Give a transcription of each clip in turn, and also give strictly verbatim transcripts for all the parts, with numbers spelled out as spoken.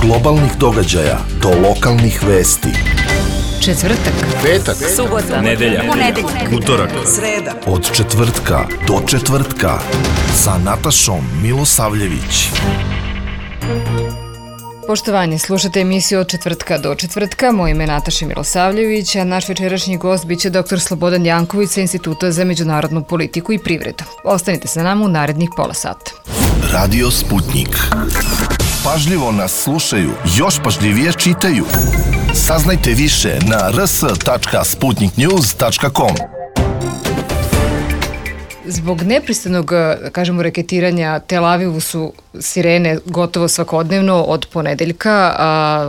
globalnih događaja do lokalnih vesti. Četvrtak, petak, subota, nedelja, ponedeljak, utorak, sreda. Od četvrtka do četvrtka sa Natašom Milosavljević. Poštovanje, slušate emisiju Od četvrtka do četvrtka. Moje ime je Nataša Milosavljević, a naš večerašnji gost biće doktor Slobodan Janković sa Instituta za međunarodnu politiku i privredu. Ostanite sa nama u narednih pola sata. Radio Sputnik. Pažljivo nas slušaju, još pažljivije čitaju. Saznajte više na r s tačka sputnik news tačka com. Zbog nepristanog, kažemo, reketiranja Tel Avivu su sirene gotovo svakodnevno od ponedeljka.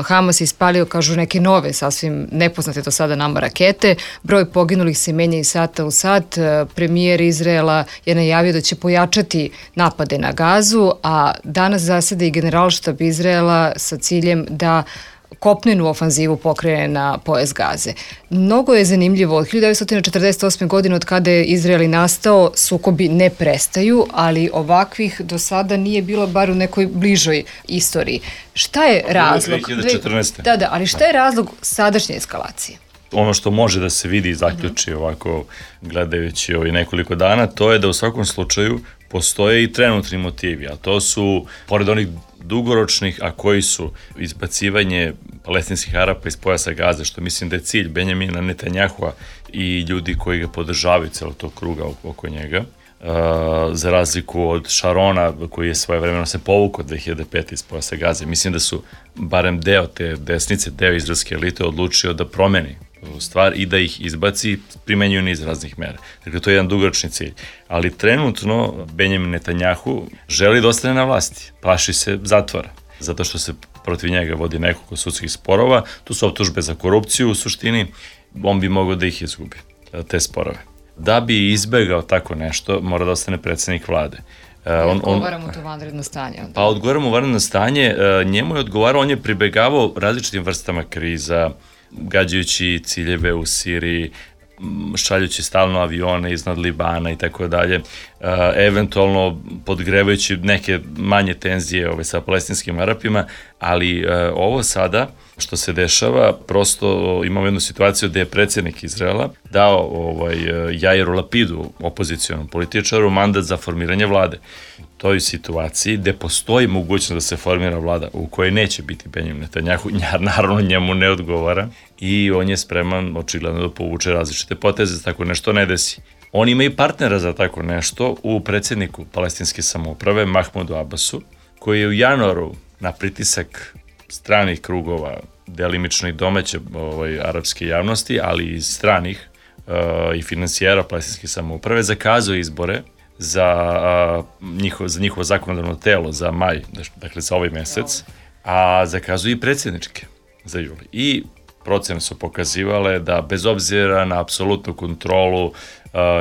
Hamas je ispalio, kažu, neke nove, sasvim nepoznate do sada nama rakete. Broj poginulih se menja iz sata u sat. Premijer Izraela je najavio da će pojačati napade na Gazu, a danas zaseda i generalštab Izraela sa ciljem da kopnenu ofanzivu pokrene na pojas Gaze. Mnogo je zanimljivo, od hiljadu devetsto četrdeset osme. godine od kada je Izrael i nastao, sukobi ne prestaju, ali ovakvih do sada nije bilo bar u nekoj bližoj istoriji. Šta je razlog? dve hiljade četrnaeste. Da, da, ali šta je razlog sadašnje eskalacije? Ono što može da se vidi i zaključi ovako gledajući ovaj nekoliko dana, to je da u svakom slučaju postoje i trenutni motivi, a to su, pored onih dugoročnih, a koji su izbacivanje palestinskih Arapa iz pojasa Gaze, što mislim da je cilj Benjamina Netanjahua i ljudi koji ga podržavaju celo tog kruga oko njega, uh, za razliku od Šarona koji je svojevremeno se povukao dve hiljade pete. iz pojasa Gaze. Mislim da su barem deo te desnice, deo izraelske elite odlučio da promeni stvar i da ih izbaci, primenjuju niz raznih mera. Dakle, to je jedan dugoročni cilj. Ali trenutno Benjamin Netanjahu želi da ostane na vlasti, plaši se zatvora, zato što se protiv njega vodi nekoliko sudskih sporova, tu su optužbe za korupciju u suštini, on bi mogao da ih izgubi, te sporove. Da bi izbegao tako nešto, mora da ostane predsednik vlade. On, odgovaramo to vanredno stanje. Pa odgovaramo vanredno stanje, njemu je odgovarao, on je pribegavao različitim vrstama kriza, gađajući ciljeve u Siriji, šaljući stalno avione iznad Libana i tako dalje, eventualno podgrevajući neke manje tenzije ove, sa palestinskim Arapima, ali ovo sada što se dešava, prosto imamo jednu situaciju gde je predsjednik Izraela dao ovaj, Jairu Lapidu, opozicionom političaru, mandat za formiranje vlade. U toj situaciji gde postoji mogućnost da se formira vlada u kojoj neće biti Benjamin Netanjahu, naravno njemu ne odgovara i on je spreman očigledno da povuče različite poteze, tako nešto ne desi. On ima i partnera za tako nešto u predsjedniku palestinske samouprave, Mahmudu Abbasu, koji je u januaru na pritisak stranih krugova, delimično i domaće ovaj, arapske javnosti, ali i stranih uh, i finansijera palestinske samouprave, zakazao izbore za, uh, njiho, za njihovo zakonodavno telo za maj, dakle za ovaj mesec, a zakazuje i predsjedničke za juli. I procene su pokazivale da bez obzira na apsolutnu kontrolu uh,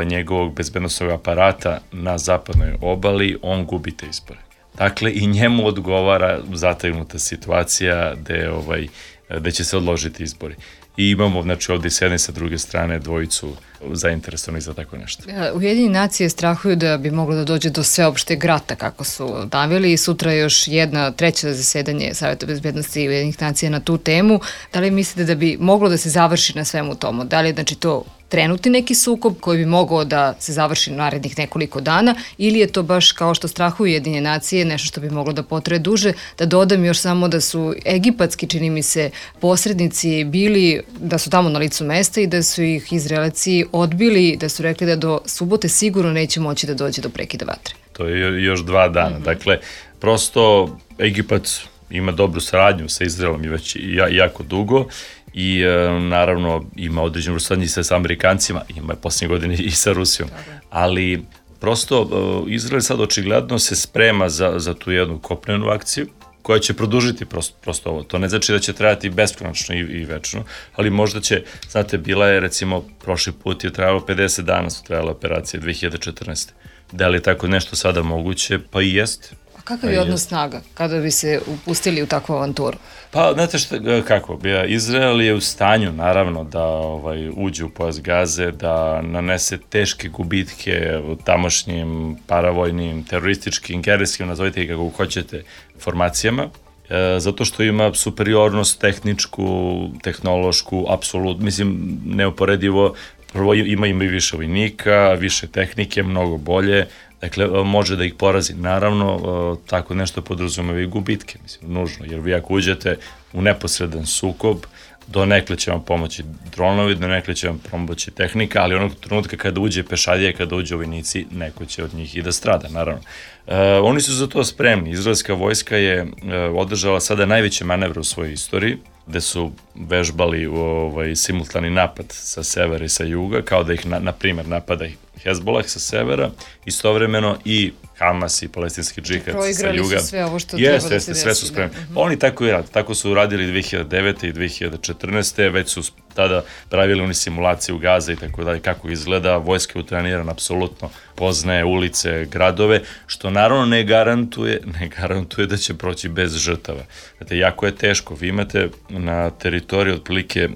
njegovog bezbednosnog aparata na zapadnoj obali, on gubi te izbore. Dakle, i njemu odgovara zategnuta situacija gde, ovaj, gde će se odložiti izbori. I imamo, znači, ovdje s jedne i sa druge strane dvojicu zainteresovanih za tako nešto. Ujedinjene nacije strahuju da bi moglo da dođe do sveopšteg rata, kako su naveli, i sutra još jedna treća zasedanje Saveta bezbednosti Ujedinjenih nacija na tu temu. Da li mislite da bi moglo da se završi na svemu tomu? Da li je, znači, to trenutni neki sukob koji bi mogao da se završi narednih nekoliko dana, ili je to baš, kao što strahuju Ujedinjene nacije, nešto što bi moglo da potraje duže? Da dodam još samo da su egipatski, čini mi se, posrednici bili, da su tamo na licu mesta i da su ih Izraelci odbili, da su rekli da do subote sigurno neće moći da dođe do prekida vatre. To je još dva dana. Mm-hmm. Dakle, prosto Egipat ima dobru saradnju sa Izraelom i već jako dugo i e, naravno ima određenu saradnju sa, sa Amerikancima, ima je posljednje godine i sa Rusijom, ali prosto e, Izrael sad očigledno se sprema za, za tu jednu kopnenu akciju koja će produžiti prosto, prosto ovo. To ne znači da će trajati beskonačno i, i večno, ali možda će, znate, bila je recimo prošli put je trajalo pedeset dana su trajale operacije dve hiljade četrnaeste. Da li je tako nešto sada moguće? Pa i jeste. Kakav je odnos snaga kada bi se upustili u takvu avanturu? Pa, znate šta, kako, Izrael je u stanju, naravno, da ovaj, uđe u pojas Gaze, da nanese teške gubitke u tamošnjim paravojnim, terorističkim, gerilskim, nazovite ih kako hoćete, formacijama, E, zato što ima superiornost tehničku, tehnološku, apsolutno, mislim, neuporedivo, prvo ima ima i više vojnika, više tehnike, mnogo bolje, dakle, može da ih porazi. Naravno, tako nešto podrazumeva i gubitke, mislim, nužno, jer vi ako uđete u neposredan sukob, do nekle će vam pomoći dronovi, do nekle će vam pomoći tehnika, ali onog trenutka kada uđe pešadija, kada uđe vojnici, neko će od njih i da strada, naravno. E, oni su za to spremni. Izraelska vojska je e, održala sada najveće manevre u svojoj istoriji, gde su vežbali ovaj, simultani napad sa severa i sa juga, kao da ih, na, na primjer, napada Hezbollah sa severa, istovremeno i Hamas i palestinski džihad sa juga. Proigrali su sve ovo što jeste, treba da jeste, se desi. sve su spremni. Da. Oni tako i rade, tako su uradili dve hiljade devete i dve hiljade četrnaeste. Već su tada pravili oni simulacije u Gaza i tako dalje, kako izgleda, vojska je utrenirana, apsolutno poznaje ulice, gradove, što naravno ne garantuje, ne garantuje da će proći bez žrtava. Znate, jako je teško, vi imate na teritoriji otprilike e,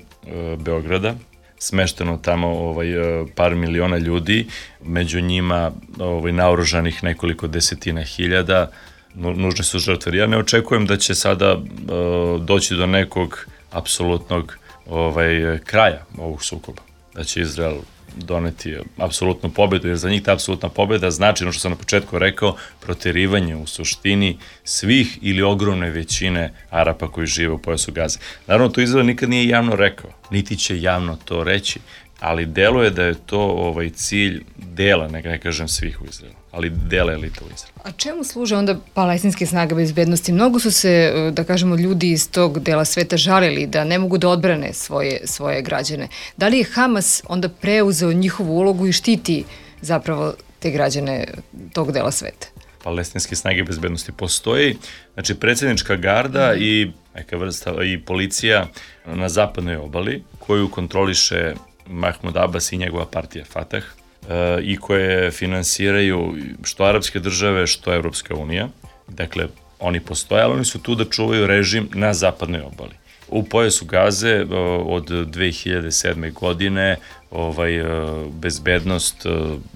Beograda, smešteno tamo ovaj, par miliona ljudi, među njima ovaj, naoružanih nekoliko desetina hiljada, nužne su žrtve. Ja ne očekujem da će sada uh, doći do nekog apsolutnog ovaj, kraja ovog sukoba, da će Izrael doneti apsolutnu pobedu, jer za njih ta apsolutna pobeda znači, ono što sam na početku rekao, proterivanje u suštini svih ili ogromne većine Arapa koji žive u pojasu Gaze. Naravno, to Izrael nikad nije javno rekao, niti će javno to reći, ali deluje da je to ovaj cilj dela, ne, ne kažem svih u Izraelu, ali dela elita u Izraelu. A čemu služe onda palestinske snage bezbednosti? Mnogo su se, da kažemo, ljudi iz tog dela sveta žalili da ne mogu da odbrane svoje, svoje građane. Da li je Hamas onda preuzeo njihovu ulogu i štiti zapravo te građane tog dela sveta? Palestinske snage bezbednosti postoji, znači predsjednička garda mm. i neka vrsta i policija na zapadnoj obali koju kontroliše Mahmud Abbas i njegova partija Fatah e, i koje finansiraju što arapske države, što Evropska unija. Dakle, oni postoje, ali oni su tu da čuvaju režim na zapadnoj obali. U pojasu Gaze od dve hiljade sedme. godine ovaj, bezbednost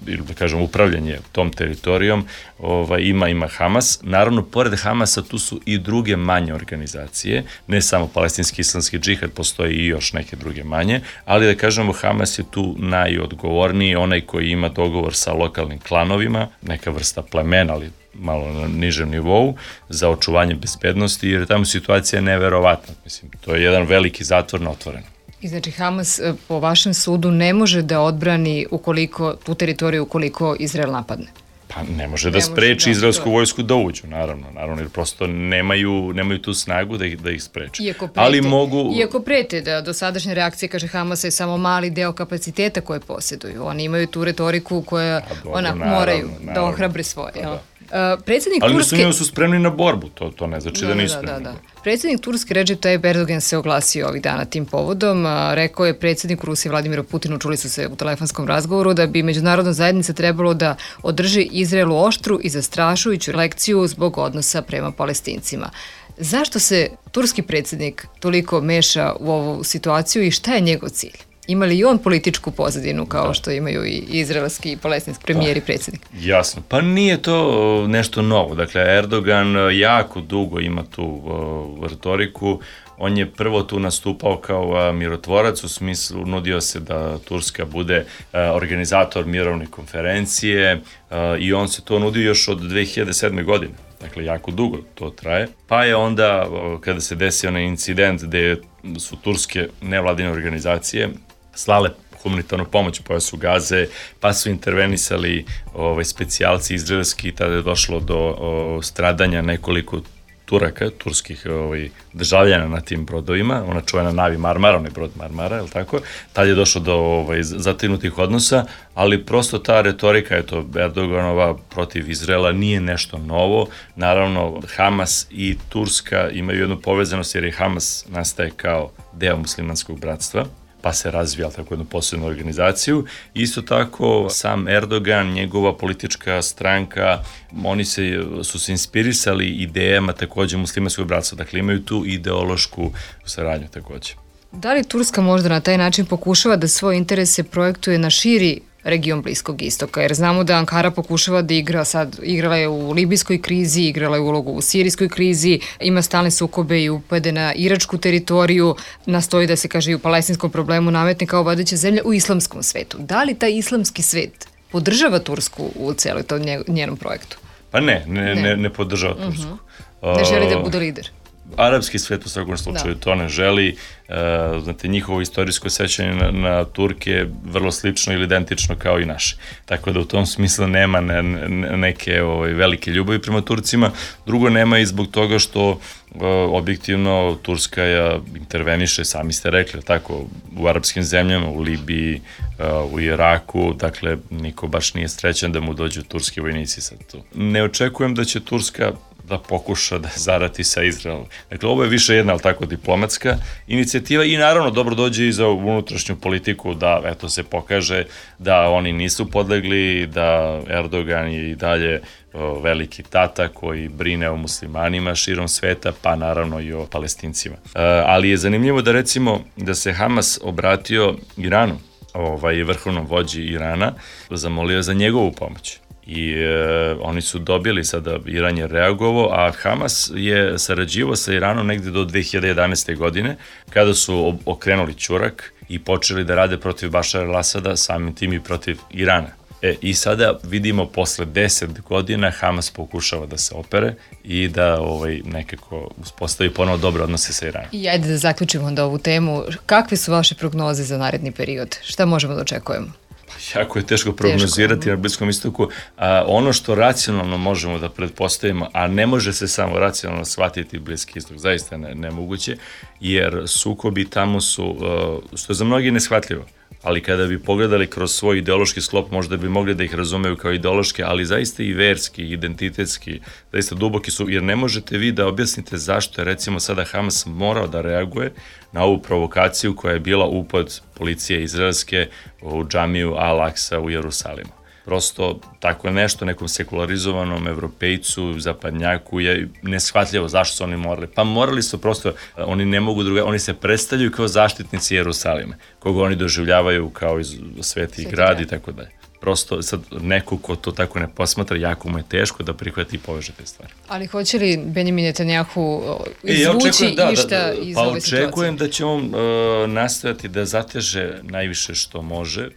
ili da kažem upravljanje tom teritorijom ovaj, ima, ima Hamas. Naravno, pored Hamasa tu su i druge manje organizacije, ne samo palestinski islamski džihad, postoji i još neke druge manje, ali da kažemo Hamas je tu najodgovorniji, onaj koji ima dogovor sa lokalnim klanovima, neka vrsta plemena, ali malo na nižem nivou, za očuvanje bezbednosti, jer tamo situacija je neverovatna. Mislim, to je jedan veliki zatvor na otvoreno. I znači Hamas po vašem sudu ne može da odbrani ukoliko, tu teritoriju ukoliko Izrael napadne? Pa ne može da ne spreči može, da, izraelsku to... vojsku da uđu, naravno, naravno, jer prosto nemaju, nemaju tu snagu da ih, da ih spreče. Iako prete, ali mogu... Iako prete da dosadašnja reakcija, kaže Hamasa, je samo mali deo kapaciteta koje posjeduju. Oni imaju tu retoriku koja dobro, ona naravno, moraju naravno, da ohrabre svoje. Da, da. Uh, predsjednik ali Turske... Ali su spremni na borbu, to, to ne znači da, da nisu spremni. Da, da, da. Predsjednik Turske Recep Tayyip Erdogan se oglasio ovih dana tim povodom. A, rekao je predsjedniku Rusije Vladimiru Putinu, čuli su se u telefonskom razgovoru, da bi međunarodna zajednica trebalo da održi Izraelu oštru i zastrašujuću lekciju zbog odnosa prema Palestincima. Zašto se turski predsjednik toliko meša u ovu situaciju i šta je njegov cilj? Ima li i on političku pozadinu kao da. Što imaju i izraelski i palestinski premijer i predsjednik? Jasno, pa nije to nešto novo. Dakle, Erdogan jako dugo ima tu uh, retoriku. On je prvo tu nastupao kao uh, mirotvorac, u smislu nudio se da Turska bude uh, organizator mirovne konferencije uh, i on se to nudio još od dve hiljade sedme. godine. Dakle, jako dugo to traje. Pa je onda, uh, kada se desio onaj incident gde su turske nevladine organizacije slale humanitarnu pomoć u pojasu Gaze, pa su intervenisali ovaj, specijalci izraelski i tada je došlo do o, stradanja nekoliko Turaka, turskih ovaj, državljana na tim brodovima, ona čuvena Navi Marmara, onaj brod Marmara, je li tako? Tad je došlo do ovaj, zatinutih odnosa, ali prosto ta retorika, eto, Erdoganova protiv Izraela nije nešto novo. Naravno, Hamas i Turska imaju jednu povezanost jer je Hamas nastaje kao deo muslimanskog bratstva, pa se razvija tako jednu posebnu organizaciju. Isto tako, sam Erdogan, njegova politička stranka, oni se, su se inspirisali idejama takođe muslimanskog bratstva, dakle imaju tu ideološku saradnju takođe. Da li Turska možda na taj način pokušava da svoje interese projektuje na širi region Bliskog istoka, jer znamo da Ankara pokušava da igra sad, igrala je u libijskoj krizi, igrala je ulogu u sirijskoj krizi, ima stalne sukobe i upade na iračku teritoriju, nastoji da se kaže i u palestinskom problemu nametne kao vodeća zemlja u islamskom svetu. Da li taj islamski svet podržava Tursku u cijeloj tom njenom projektu? Pa ne, ne, ne, ne podržava Tursku. Uh-huh. Ne želi da bude lider. Arapski svet u svakom slučaju da. to ne želi. E, znate, njihovo istorijsko sećanje na, na Turke je vrlo slično ili identično kao i naše. Tako da u tom smislu nema ne, ne, neke ovaj, velike ljubavi prema Turcima. Drugo, nema i zbog toga što e, objektivno Turska je interveniše, sami ste rekli, tako, u arapskim zemljama, u Libiji, e, u Iraku, dakle, niko baš nije srećan da mu dođu turski vojnici sad tu. Ne očekujem da će Turska da pokuša da zarati sa Izraelom. Dakle, ovo je više jedna, ali tako, diplomatska inicijativa i naravno dobro dođe i za unutrašnju politiku da, eto, se pokaže da oni nisu podlegli, da Erdogan je i dalje o, veliki tata koji brine o muslimanima širom sveta, pa naravno i o Palestincima. E, ali je zanimljivo da, recimo, da se Hamas obratio Iranu, ovaj, vrhovnom vođi Irana, zamolio za njegovu pomoć. I e, oni su dobili, sada Iran je reagovao, a Hamas je sarađivao sa Iranom negde do dve hiljade jedanaeste. godine, kada su okrenuli ćurak i počeli da rade protiv Bašara al-Asada, samim tim i protiv Irana. E, I sada vidimo posle deset godina Hamas pokušava da se opere i da ovaj, nekako uspostavi ponovo dobre odnose sa Iranom. I ajde da zaključimo onda ovu temu. Kakve su vaše prognoze za naredni period? Šta možemo da očekujemo? Jako je teško prognozirati teško. Na Bliskom istoku. A, ono što racionalno možemo da pretpostavimo, a ne može se samo racionalno shvatiti Bliski istok, zaista ne, nemoguće, jer sukobi tamo su, uh, što je za mnogi neshvatljivo, ali kada bi pogledali kroz svoj ideološki sklop, možda bi mogli da ih razumeju kao ideološke, ali zaista i verski, identitetski, zaista duboki su, jer ne možete vi da objasnite zašto je recimo sada Hamas morao da reaguje na ovu provokaciju koja je bila upad policije izraelske u džamiju Al-Aqsa u Jerusalimu. Prosto tako nešto nekom sekularizovanom evropejcu, zapadnjaku je neshvatljivo zašto su oni morali. Pa morali su prosto, oni ne mogu druga, oni se predstavljaju kao zaštitnici Jerusalima, koga oni doživljavaju kao iz sveti grad i tako dalje. Prosto sad neko ko to tako ne posmatra, jako mu je teško da prihvati i poveže te stvari. Ali hoće li Benjamin Netanjahu izvući e, ja da, išta da, da, iz pa ove situacije? Pa očekujem da će on uh, nastojati da zateže najviše što može,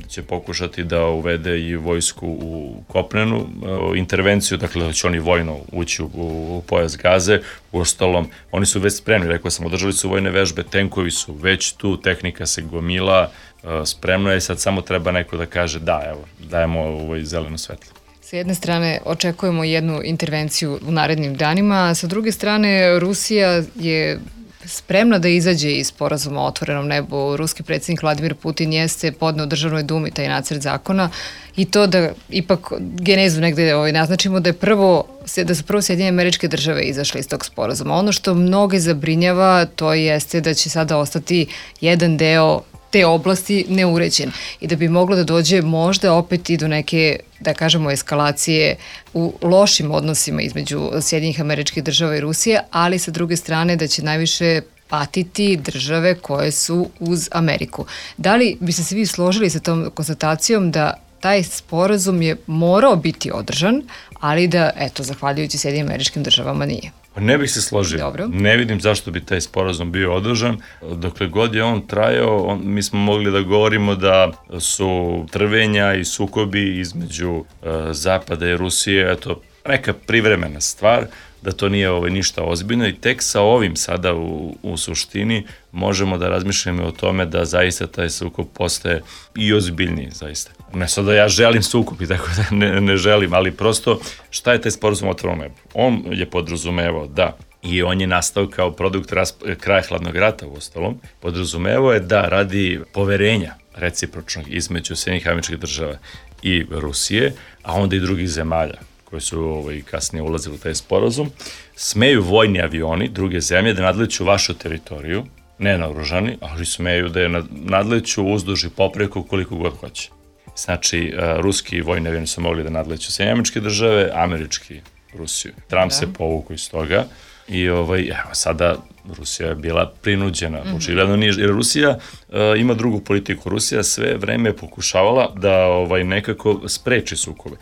će pokušati da uvede i vojsku u kopnenu uh, intervenciju, dakle da će oni vojno ući u, u pojas Gaze. U ostalom, oni su već spremni, rekao sam, održali su vojne vežbe, tenkovi su već tu, tehnika se gomila, uh, spremno je, sad samo treba neko da kaže da, evo, dajemo ovo zeleno svetlo. Sa jedne strane očekujemo jednu intervenciju u narednim danima, a sa druge strane Rusija je spremna da izađe iz sporazuma o otvorenom nebu. Ruski predsjednik Vladimir Putin jeste podneo državnoj dumi taj nacrt zakona i to da ipak genezu negde ovaj, naznačimo da je prvo, da su prvo Sjedinjene Američke Države izašle iz tog sporazuma. Ono što mnoge zabrinjava to jeste da će sada ostati jedan deo te oblasti neuređen i da bi moglo da dođe možda opet i do neke, da kažemo, eskalacije u lošim odnosima između Sjedinjenih Američkih Država i Rusije, ali sa druge strane da će najviše patiti države koje su uz Ameriku. Da li bi se svi složili sa tom konstatacijom da taj sporazum je morao biti održan, ali da, eto, zahvaljujući Sjedinjenim Američkim Državama nije? Ne bih se složio. Dobro. Ne vidim zašto bi taj sporazum bio održan. Dokle god je on trajao, on, mi smo mogli da govorimo da su trvenja i sukobi između uh, Zapada i Rusije, eto, neka privremena stvar, da to nije ovaj, ništa ozbiljno i tek sa ovim sada u, u suštini možemo da razmišljamo o tome da zaista taj sukob postaje i ozbiljniji, zaista. Ne sad da ja želim sukob i tako da ne, ne želim, ali prosto šta je taj sporazum o otvorenom nebu? On je podrazumevao da, i on je nastao kao produkt rasp- kraja hladnog rata u ostalom, podrazumevao je da radi poverenja recipročnog između Sjedinjenih Američkih Država i Rusije, a onda i drugih zemalja koji su ovaj, kasnije ulazili u taj sporazum, smeju vojni avioni druge zemlje da nadleću vašu teritoriju, ne naoružani, ali smeju da je nadleću uzduž i popreko koliko god hoće. Znači, uh, ruski vojni avioni su mogli da nadleću Sjedinjene Američke Države, američki Rusiju. Trump da. se povukao iz toga I ovaj, evo, sada Rusija je bila prinuđena, mm-hmm. očigledno nije, jer Rusija uh, ima drugu politiku. Rusija sve vreme pokušavala da ovaj, nekako spreči sukobe,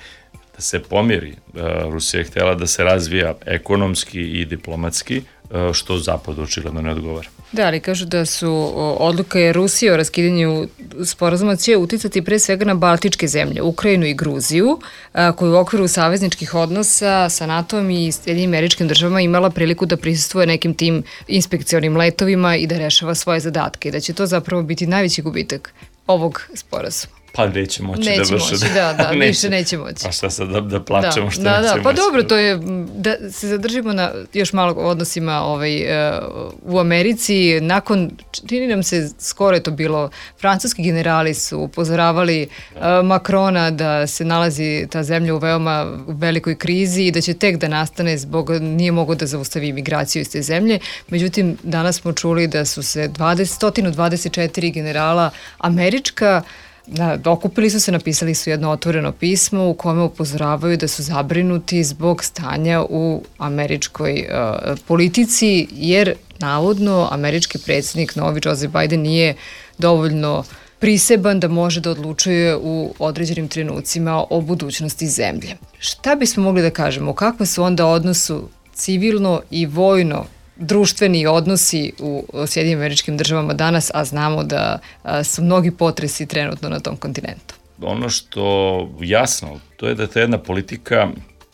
da se pomiri. Uh, Rusija je htjela da se razvija ekonomski i diplomatski, uh, što Zapadu očigledno ne odgovara. Da, ali kažu da su odluke Rusije o raskidanju sporazuma će uticati pre svega na Baltičke zemlje, Ukrajinu i Gruziju, koju u okviru savezničkih odnosa sa NATO-om i Sjedinjenim Američkim Državama imala priliku da prisustvuje nekim tim inspekcionim letovima i da rešava svoje zadatke i da će to zapravo biti najveći gubitak ovog sporazuma. Pa neće moći neće da vrše. Neće moći, da, da, neće. Više neće moći. Pa šta sad da, da plaćamo da, što da, neće da, moći. Pa dobro, to je, da se zadržimo na još malo odnosima ovaj, u Americi. Nakon, čini nam se, skoro je to bilo, francuski generali su upozoravali da. Makrona da se nalazi ta zemlja u veoma velikoj krizi i da će tek da nastane zbog, nije mogo da zaustavi imigraciju iz te zemlje. Međutim, danas smo čuli da su se sto dvadeset četiri generala američka Da, okupili su se, napisali su jedno otvoreno pismo u kome upozoravaju da su zabrinuti zbog stanja u američkoj uh, politici, jer navodno američki predsjednik novi Joseph Biden nije dovoljno priseban da može da odlučuje u određenim trenucima o budućnosti zemlje. Šta bismo mogli da kažemo? U kakvom su onda odnosu civilno i vojno društveni odnosi u Sjedinjenim Američkim Državama danas, a znamo da a, su mnogi potresi trenutno na tom kontinentu? Ono što jasno, to je da ta jedna politika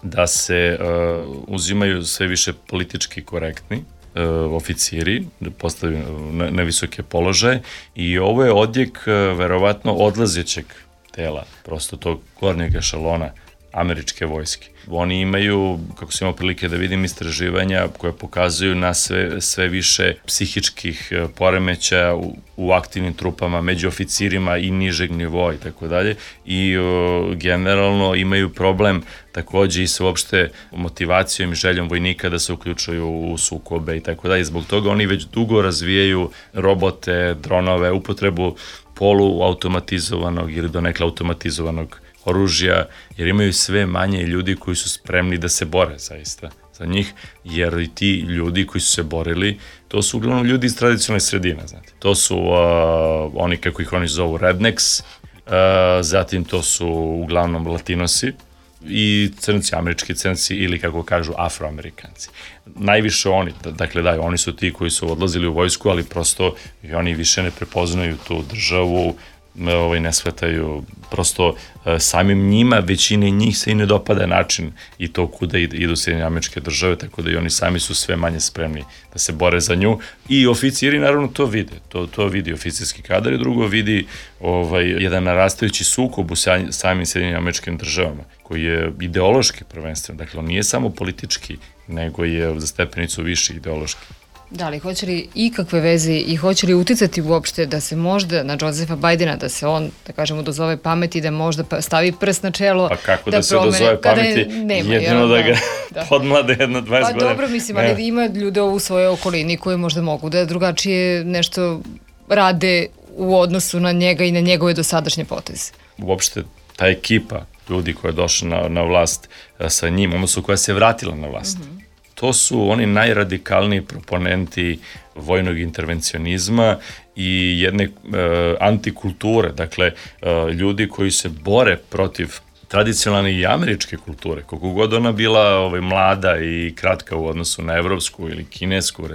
da se uh, uzimaju sve više politički korektni uh, oficiri, da postavljaju na, na visoke položaje i ovo je odjek uh, verovatno odlazećeg tela, prosto tog gornjeg ešalona američke vojske. Oni imaju, kako sam imao prilike da vidim, istraživanja koje pokazuju na sve, sve više psihičkih poremećaja u, u aktivnim trupama, među oficirima i nižeg nivoa i tako dalje. I o, generalno imaju problem takođe i sa uopšte motivacijom i željom vojnika da se uključuju u sukobe i tako dalje. Zbog toga oni već dugo razvijaju robote, dronove, upotrebu poluautomatizovanog ili donekle automatizovanog oružja, jer imaju sve manje ljudi koji su spremni da se bore zaista za njih, jer i ti ljudi koji su se borili, to su uglavnom ljudi iz tradicionalne sredine, znate. To su uh, oni, kako ih oni zovu, rednecks, uh, zatim to su uglavnom latinosi i crnci, američki crnci ili, kako kažu, afroamerikanci. Najviše oni, dakle da, oni su ti koji su odlazili u vojsku, ali prosto i oni više ne prepoznaju tu državu, ovaj, ne shvataju, prosto samim njima, većine njih se i ne dopada način i to kuda idu Sjedinjene Američke Države, tako da i oni sami su sve manje spremni da se bore za nju i oficiri naravno to vide, to, to vidi oficirski kadar i drugo vidi ovaj, jedan narastajući sukob u samim Sjedinjenim Američkim Državama koji je ideološki prvenstveno, dakle on nije samo politički, nego je za stepenicu više ideološki. Da li, hoće li ikakve veze i hoće li uticati uopšte da se možda na Josepha Bidena, da se on, da kažemo, dozove pameti, da možda stavi prst na čelo, pa kako da, da se promene, dozove pameti, nema, jedino da ga da. podmlade jedno dvadeset pa, godina. Pa dobro, mislim, ali ne. Ima ljude u svojoj okolini koji možda mogu da drugačije nešto rade u odnosu na njega i na njegove dosadašnje poteze. Uopšte ta ekipa ljudi koja je došla na, na vlast sa njim, odnosno koja se vratila na vlast, mm-hmm. to su oni najradikalniji proponenti vojnog intervencionizma i jedne e, antikulture, dakle e, ljudi koji se bore protiv tradicionalne i američke kulture, koliko god ona bila ovaj, mlada i kratka u odnosu na evropsku ili kinesku,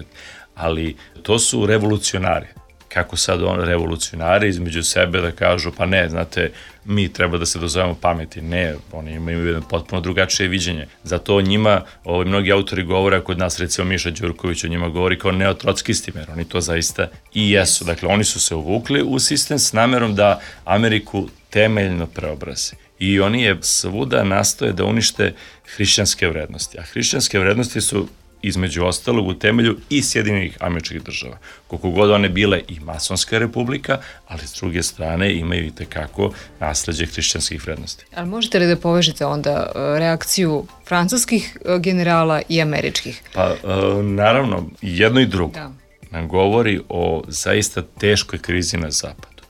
ali to su revolucionari. Kako sad on revolucionari između sebe da kažu, pa ne, znate, mi treba da se dozovemo pameti. Ne, oni imaju jedno potpuno drugačije viđenje. Zato njima, ovaj, mnogi autori govore, kod nas recimo Miša Đurković o njima govori kao neotrockistima, jer oni to zaista i jesu. Dakle, oni su se uvukli u sistem s namerom da Ameriku temeljno preobraze. I oni je svuda nastoje da unište hrišćanske vrednosti. A hrišćanske vrednosti su između ostalog u temelju i Sjedinjenih Američkih Država. Koliko god one bile i masonska republika, ali s druge strane imaju i tekako nasleđe hrišćanskih vrednosti. Ali možete li da povežete onda reakciju francuskih generala i američkih? Pa, naravno, jedno i drugo da. Nam govori o zaista teškoj krizi na zapadu.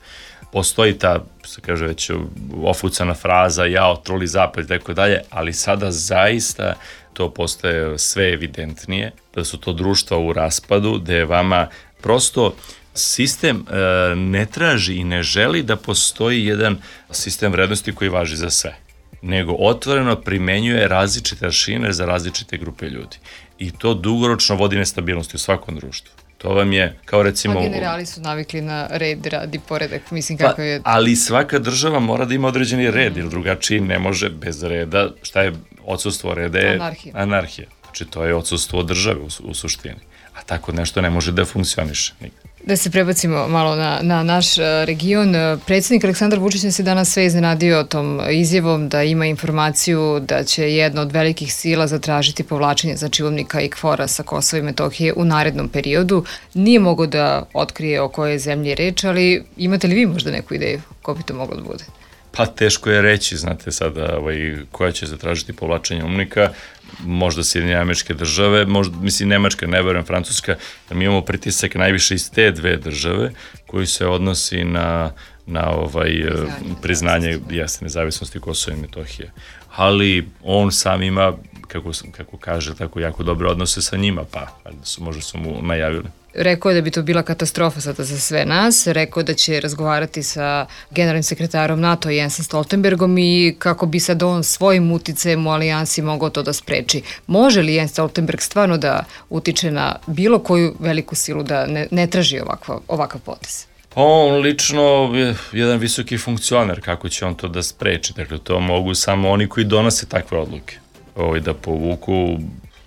Postoji ta, se kaže već, ofucana fraza, jao, truli zapad i tako dalje, ali sada zaista to postaje sve evidentnije, da su to društva u raspadu, da je vama prosto sistem e, ne traži i ne želi da postoji jedan sistem vrednosti koji važi za sve, nego otvoreno primenjuje različite aršine za različite grupe ljudi. I to dugoročno vodi nestabilnosti u svakom društvu. To vam je, kao recimo... A generali su navikli na red, rad i poredak, mislim kako je... Pa, ali svaka država mora da ima određeni red, jer drugačiji ne može bez reda, šta je odsustvo reda je anarhija. anarhija. Znači, to je odsustvo države u, u suštini. A tako nešto ne može da funkcioniše nikad. Da se prebacimo malo na, na naš region. Predsjednik Aleksandar Vučić se danas sve iznenadio tom izjavom da ima informaciju da će jedna od velikih sila zatražiti povlačenje znači UNMIK-a i KFOR-a sa Kosova i Metohije u narednom periodu. Nije mogao da otkrije o kojoj zemlji je reč, ali imate li vi možda neku ideju ko bi to moglo da bude? Pa teško je reći, znate sada ovaj, koja će zatražiti povlačenje UNMIK-a, možda Sjedinjene Američke Države, možda, mislim Nemačka, ne verujem, Francuska, jer mi imamo pritisak najviše iz te dve države koji se odnosi na, na ovaj, priznanje, priznanje jasne nezavisnosti Kosova i Metohije. Ali on sam ima, kako, kako kaže, tako jako dobre odnose sa njima, pa su, možda su mu najavili. Rekao je da bi to bila katastrofa sada za sve nas, rekao da će razgovarati sa generalnim sekretarom NATO Jensom Stoltenbergom i kako bi sad on svojim uticajem u alijansi mogao to da spreči. Može li Jens Stoltenberg stvarno da utiče na bilo koju veliku silu da ne, ne traži ovakva, ovakav potez? Pa on lično je jedan visoki funkcioner, kako će on to da spreči, dakle to mogu samo oni koji donose takve odluke, ovaj, da povuku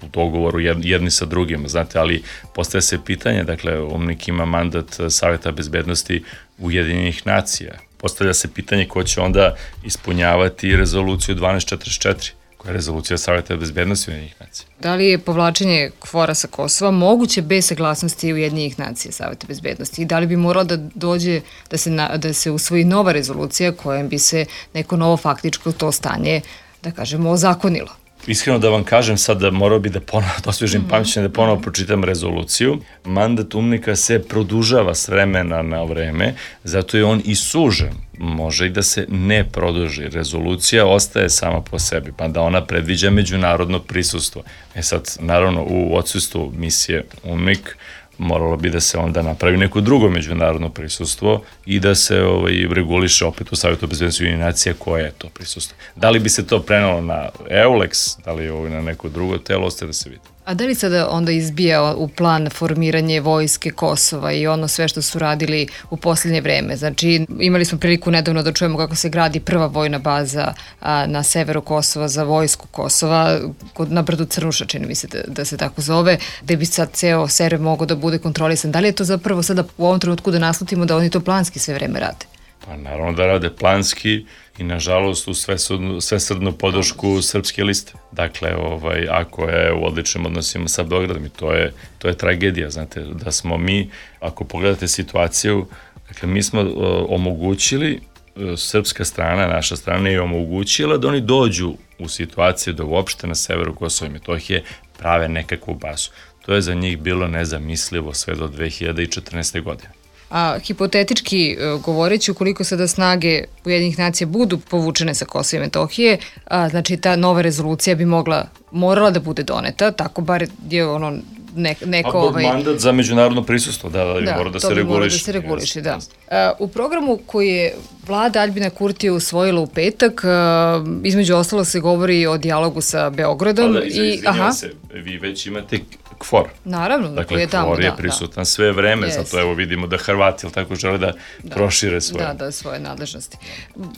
u dogovoru jedni sa drugima, znate, ali postaje se pitanje, dakle, UNMIK ima mandat Saveta bezbednosti Ujedinjenih nacija. Postavlja se pitanje ko će onda ispunjavati rezoluciju dvanaest četrdeset četiri, koja je rezolucija Saveta bezbednosti Ujedinjenih nacija. Da li je povlačenje KFOR-a sa Kosova moguće bez saglasnosti Ujedinjenih nacija Saveta bezbednosti i da li bi moralo da dođe da se, na, da se usvoji nova rezolucija kojom bi se neko novo faktičko to stanje, da kažemo, ozakonilo? Iskreno da vam kažem, sad da morao bi da ponovo, da osvježim pamćenje, da ponovo pročitam rezoluciju. Mandat UNMIK-a se produžava s vremena na vreme, zato je on i sužen. Može i da se ne produži. Rezolucija ostaje sama po sebi, pa da ona predviđa međunarodno prisustvo. E sad, naravno, u odsustvu misije UNMIK moralo bi da se onda napravi neko drugo međunarodno prisustvo i da se ovaj, reguliše opet u Savjetu bezbednosti Ujedinjenih nacija koje je to prisustvo. Da li bi se to prenalo na EULEX, da li ovaj, na neko drugo telo, ostaje da se vidi. A da li sada onda izbija u plan formiranje vojske Kosova i ono sve što su radili u posljednje vreme? Znači, imali smo priliku nedavno da čujemo kako se gradi prva vojna baza a, na severu Kosova za vojsku Kosova, kod, na brdu Crnuša, čini mi se da, da se tako zove, gde bi sad ceo Sever mogao da bude kontrolisan. Da li je to zapravo sada u ovom trenutku da naslutimo da oni to planski sve vreme rade? Pa naravno da rade planski i nažalost u svesrdnu, svesrdnu podršku Srpske liste. Dakle, ovaj, ako je u odličnim odnosima sa Beogradom i to je, to je tragedija, znate, da smo mi, ako pogledate situaciju, dakle, mi smo uh, omogućili, uh, srpska strana, naša strana je omogućila da oni dođu u situaciju da uopšte na severu Kosova i Metohije prave nekakvu bazu. To je za njih bilo nezamislivo sve do dve hiljade četrnaeste. godine. A hipotetički govoreći, ukoliko sada snage Ujedinjenih nacija budu povučene sa Kosova i Metohije, a, znači ta nova rezolucija bi mogla, morala da bude doneta, tako bar je ono ne, neko... A ovaj... mandat za međunarodno prisustvo, da, da, da mora da se reguliše. Da, to bi da se reguliše, da. A, u programu koji je vlada Aljbina Kurtija usvojila u petak, a, između ostalog se govori o dijalogu sa Beogradom. Pa da, izvinjam se, vi već imate KFOR. Naravno, dakle, je tamo, KFOR je da, prisutan da. sve vreme, Yes. zato evo vidimo da Hrvati, ili tako, žele da, da prošire svoje. Da, da, svoje nadležnosti.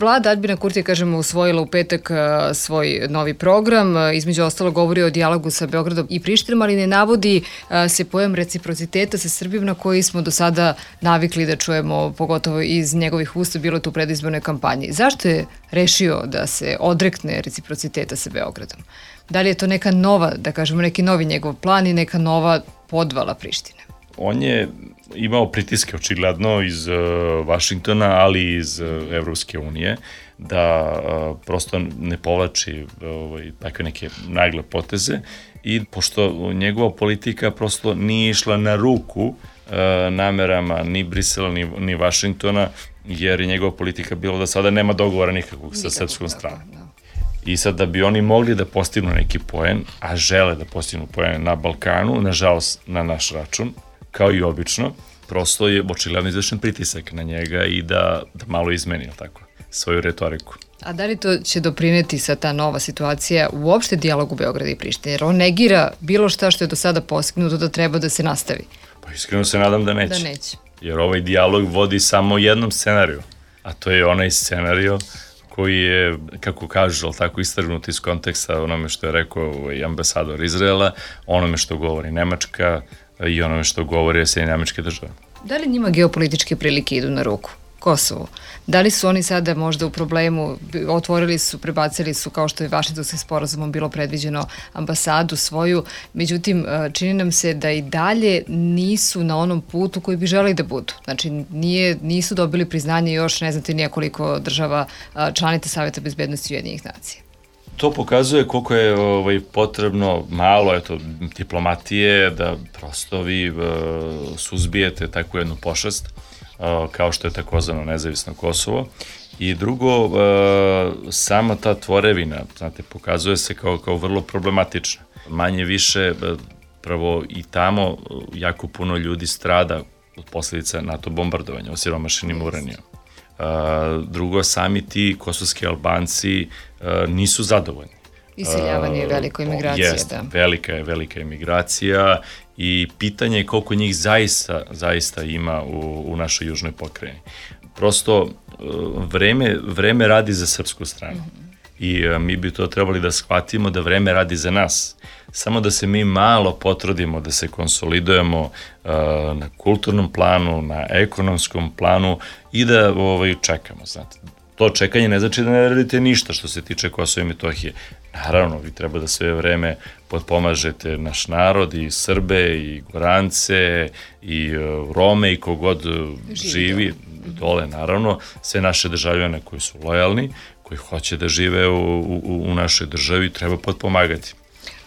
Vlada Aljbina Kurtija, kažemo, usvojila u petak a, svoj novi program, a, između ostalo govori o dijalogu sa Beogradom i Prištinom, ali ne navodi a, se pojam reciprociteta sa Srbijom na koji smo do sada navikli da čujemo, pogotovo iz njegovih usta, bilo tu u predizbornoj kampanji. Zašto je rešio da se odrekne reciprociteta sa Beogradom? Da li je to neka nova, da kažemo, neki novi njegov plan i neka nova podvala Prištine? On je imao pritiske očigledno iz uh, Vašingtona, ali i iz uh, Evropske unije, da uh, prosto ne povlači uh, takve neke nagle poteze i pošto njegova politika prosto nije išla na ruku uh, namerama ni Brisela ni, ni Vašingtona, jer je njegova politika bila da sada nema dogovora nikakvog sa srpskom stranom. I sad da bi oni mogli da postignu neki poen, a žele da postignu poen na Balkanu, nažalost na naš račun, kao i obično, prosto je očigledno izvršen pritisak na njega i da, da malo izmeni, tako, svoju retoriku. A da li to će doprineti sa ta nova situacija uopšte dijalogu Beograda i Prištine? Jer on negira bilo šta što je do sada postignuto da treba da se nastavi. Pa iskreno se nadam da neće. Da neće. Jer ovaj dijalog vodi samo jednom scenariju, a to je onaj scenario koji je, kako kažu, ali tako istrgnut iz konteksta onome što je rekao ovaj ambasador Izraela, onome što govori Nemačka i onome što govori Sjedinjene Američke Države. Da li njima geopolitičke prilike idu na ruku? Kosovo. Da li su oni sada možda u problemu, otvorili su, prebacili su, kao što je Vašingtonskim sporazumom bilo predviđeno, ambasadu svoju, međutim, čini nam se da i dalje nisu na onom putu koji bi želeli da budu. Znači, nije, nisu dobili priznanje još, ne znate nijekoliko država članica Saveta bezbednosti Ujedinjenih nacija. To pokazuje koliko je ovaj, potrebno malo eto, diplomatije da prosto vi uh, suzbijete takvu jednu pošast, uh, kao što je takozvano nezavisno Kosovo. I drugo, uh, sama ta tvorevina, znate, pokazuje se kao, kao vrlo problematična. Manje više, uh, prvo i tamo jako puno ljudi strada od posljedica NATO bombardovanja, osiromašenim uranijom. Uh, drugo, sami ti kosovski Albanci uh, nisu zadovoljni. Iseljavanje je velika imigracija, jest, da. Velika je velika imigracija i pitanje je koliko njih zaista, zaista ima u, u našoj južnoj pokrajini. Prosto uh, vreme, vreme radi za srpsku stranu. Mm-hmm. I uh, mi bi to trebali da shvatimo da vreme radi za nas. Samo da se mi malo potrudimo, da se konsolidujemo uh, na kulturnom planu, na ekonomskom planu i da ovaj, čekamo, znate. To čekanje ne znači da ne radite ništa što se tiče Kosova i Metohije. Naravno, vi treba da sve vreme potpomažete naš narod, i Srbe, i Gorance, i uh, Rome, i kogod živi, živi dole, naravno, sve naše državljane koji su lojalni, koji hoće da žive u, u, u našoj državi, treba potpomagati.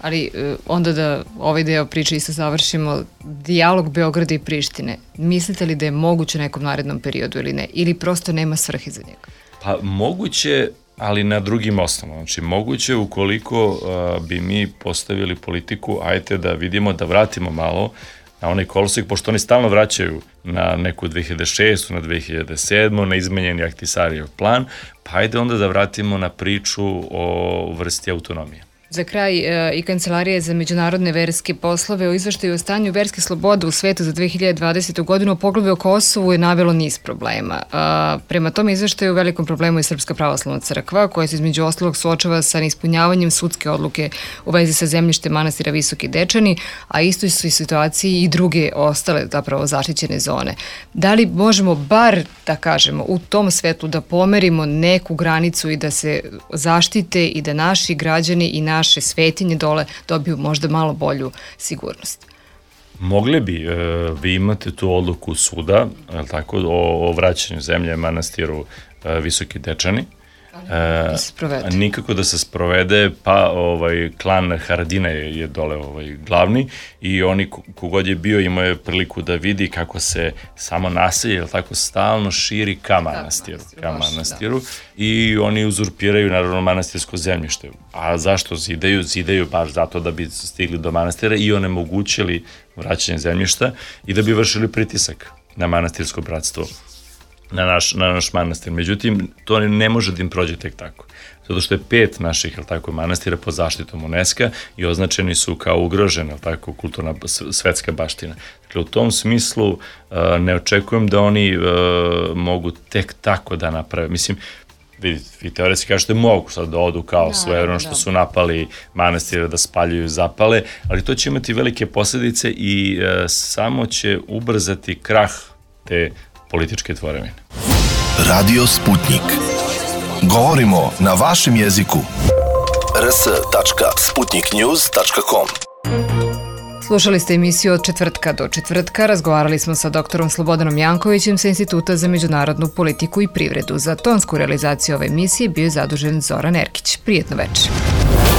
Ali onda da ovaj deo priče isto završimo, dijalog Beograda i Prištine, mislite li da je moguće u nekom narednom periodu ili ne? Ili prosto nema svrhe za njega? Pa moguće, ali na drugim osnovama. Znači moguće ukoliko uh, bi mi postavili politiku, ajte da vidimo, da vratimo malo na onaj kolosek, pošto oni stalno vraćaju na neku dve hiljade šestu, na dve hiljade sedmu, na izmenjeni Ahtisarijev plan, pa ajde onda da vratimo na priču o vrsti autonomije. Za kraj e, i Kancelarija za međunarodne verske poslove o izveštaju o stanju verske slobode u svetu za dve hiljade dvadesetu. godinu o poglavlju o Kosovu je navelo niz problema. A, prema tom izveštaju u velikom problemu je Srpska pravoslavna crkva, koja se između ostalog suočava sa neispunjavanjem sudske odluke u vezi sa zemljištem manastira Visoki Dečani, a isto su i situaciji i druge ostale zapravo zaštićene zone. Da li možemo bar, da kažemo, u tom svetlu da pomerimo neku granicu i da se zaštite i da naši građani i naši naše svetinje dole dobiju možda malo bolju sigurnost? Mogli bi. E, vi imate tu odluku suda, tako, o, o vraćanju zemlje manastiru e, Visoki Dečani. Da se sprovede. Nikako da se sprovede, pa ovaj, klan Haradina je, je dole ovaj, glavni i oni kogod je bio imao je priliku da vidi kako se samo naselje, tako stalno širi ka manastiru, ka manastiru i oni uzurpiraju naravno manastirsko zemljište. A zašto zidaju? Zidaju baš zato da bi stigli do manastira i onemogućili vraćanje zemljišta i da bi vršili pritisak na manastirsko bratstvo. Na naš, na naš manastir. Međutim, to ne može da im prođe tek tako. Zato što je pet naših, tako, manastira pod zaštitom UNESCO i označeni su kao ugrožena, tako, kulturna svetska baština. Dakle, u tom smislu uh, ne očekujem da oni uh, mogu tek tako da naprave. Mislim, vidite, vi teoretski kažete mogu sad da odu kao svojevremeno što su napali manastire, da spaljuju, zapale, ali to će imati velike posljedice i uh, samo će ubrzati krah te političke tvorevine. Radio Sputnik. Govorimo na vašem jeziku. r s tačka sputnik news tačka com. Slušali ste emisiju od četvrtka do četvrtka. Razgovarali smo sa doktorom Slobodanom Jankovićem sa Instituta za međunarodnu politiku i privredu. Za tonsku realizaciju ove emisije bio je zadužen Zoran Erkić. Prijetno večer.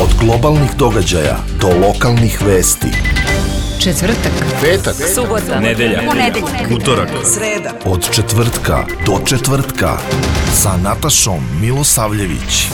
Od globalnih događaja do lokalnih vesti. Četvrtak, petak, subota, nedelja, ponedeljak, utorak, sreda. Od četvrtka do četvrtka sa Natašom Milosavljević.